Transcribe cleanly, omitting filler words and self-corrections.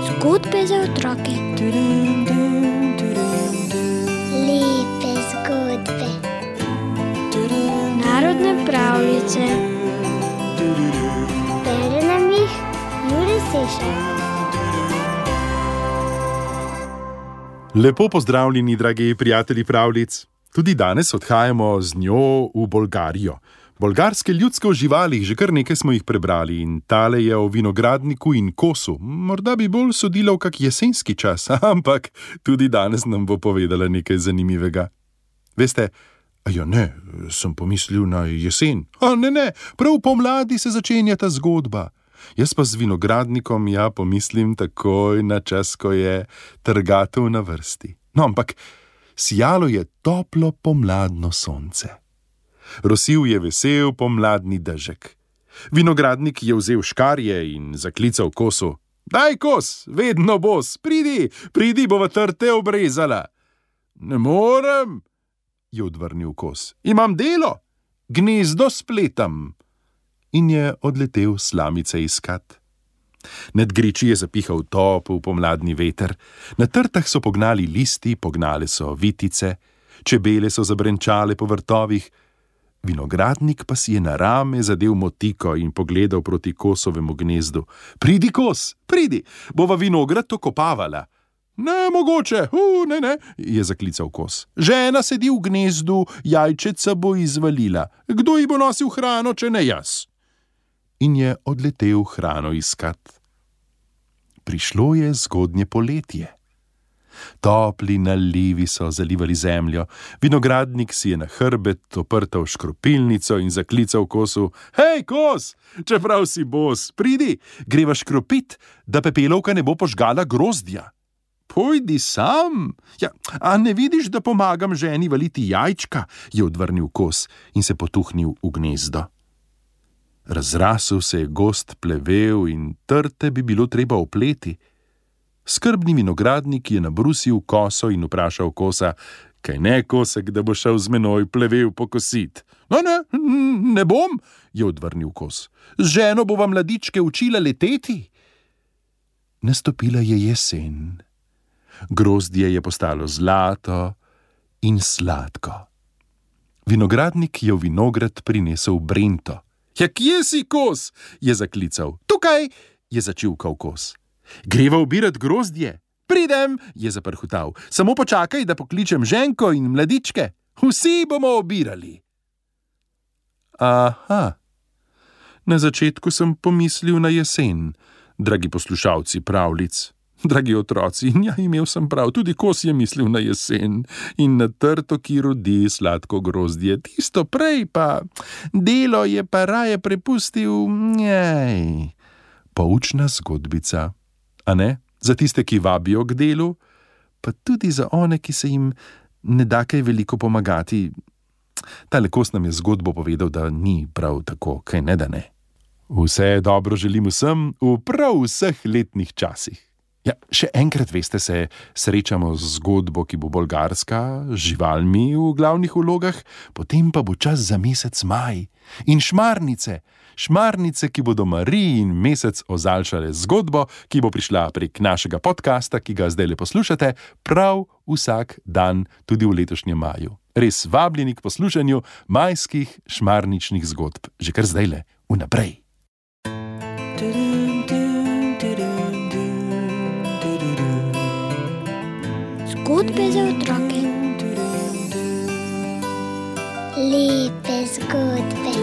Zgodbe za otroke. Lepe zgodbe. Narodne pravljice. Bere nam jih Jure Sešar. Lepo pozdravljeni, dragi prijatelji pravljic. Tudi danes odhajamo z njo v Bolgarijo. Bolgarske ljudske o živalih, že kar nekaj smo jih prebrali, in tale je o vinogradniku in kosu. Morda bi bolj sodila v kak jesenski čas, ampak tudi danes nam bo povedala nekaj zanimivega. Veste, ne, sem pomislil na jesen. Ne, prav pomladi se začenja ta zgodba. Jaz pa z vinogradnikom pomislim takoj na čas, ko je trgatev na vrsti. No, ampak sijalo je toplo pomladno sonce. Rosil je vesel pomladni dežek. Vinogradnik je vzel škarje in zaklical kosu. Daj, kos, vedno bos, pridi, bova trte obrezala. Ne morem, je odvrnil kos. Imam delo, gnezdo spletam. In je odletel slamice iskat. Nad griči je zapihal topel pomladni veter, na trtah so pognali listi, pognale so vitice, čebele so zabrenčale po vrtovih, vinogradnik pa si je na rame zadel motiko in pogledal proti kosovemu gnezdu. Pridi, kos, pridi, bova vinograd okopavala. Ne, mogoče, ne, je zaklical kos. Žena sedi v gnezdu, jajčeca bo izvalila. Kdo ji bo nosil hrano, če ne jaz? In je odletel hrano iskat. Prišlo je zgodnje poletje. Topli nalivi so zalivali zemljo, vinogradnik si je na hrbet oprtal škropilnico in zaklical kosu. Hej, kos, čeprav si bos, pridi, greva škropit, da pepelovka ne bo požgala grozdja. Pojdi sam. A ne vidiš, da pomagam ženi valiti jajčka, je odvrnil kos in se potuhnil v gnezdo. Razrasel se je gost plevel in trte bi bilo treba opleti. Skrbni vinogradnik je nabrusil koso in vprašal kosa, kaj ne, kosek, da bo šel z menoj plevel pokosit. Ne bom, je odvrnil kos. Z ženo bova mladičke učila leteti. Nastopila je jesen. Grozdje je postalo zlato in sladko. Vinogradnik je v vinograd prinesel brento. Kje si, kos? Je zaklical. Tukaj, je začivkal kos. Greva ubirat grozdje. Pridem, je zaprhutal. Samo počakaj, da pokličem ženko in mladičke. Vsi bomo obirali. Aha, na začetku sem pomislil na jesen, dragi poslušalci pravljic. Dragi otroci, imel sem prav, tudi kos je mislil na jesen in na trto, ki rodi sladko grozdje. Tisto prej pa, delo je pa raje prepustil, poučna zgodbica. A ne? Za tiste, ki vabijo k delu, pa tudi za one, ki se jim ne da kaj veliko pomagati. Tale kos nam je zgodbo povedal, da ni prav tako, kaj ne da ne. Vse dobro želim vsem v prav vseh letnih časih. Še enkrat, veste, se srečamo z zgodbo, ki bo bolgarska, z živalmi v glavnih vlogah, potem pa bo čas za mesec maj in šmarnice, ki bodo Mariji in mesec ozaljšale zgodbo, ki bo prišla prek našega podcasta, ki ga zdajle poslušate, prav vsak dan tudi v letošnjem maju. Res vabljeni k poslušanju majskih šmarničnih zgodb, že kar zdajle, vnaprej. Zgodbe za otroke. Lepe zgodbe.